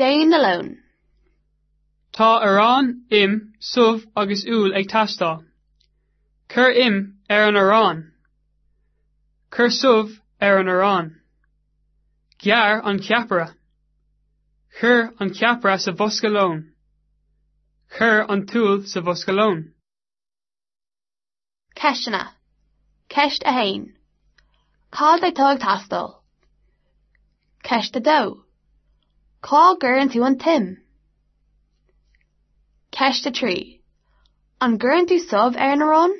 Déan do lón. Tá arán, im, subh agus úll ag teastáil. Cuir im ar an arán. Cuir subh ar an arán. Gearr an ceapaire. Cuir an ceapaire sa bhosca lóin. Cuir an t-úll sa bhosca lóin. Ceisteanna. Ceist 1. Cad atá ag teastáil? Ceist 2. Cá gcuireann tú an t-im? Ceist 3. An gcuireann tú subh ar an arán?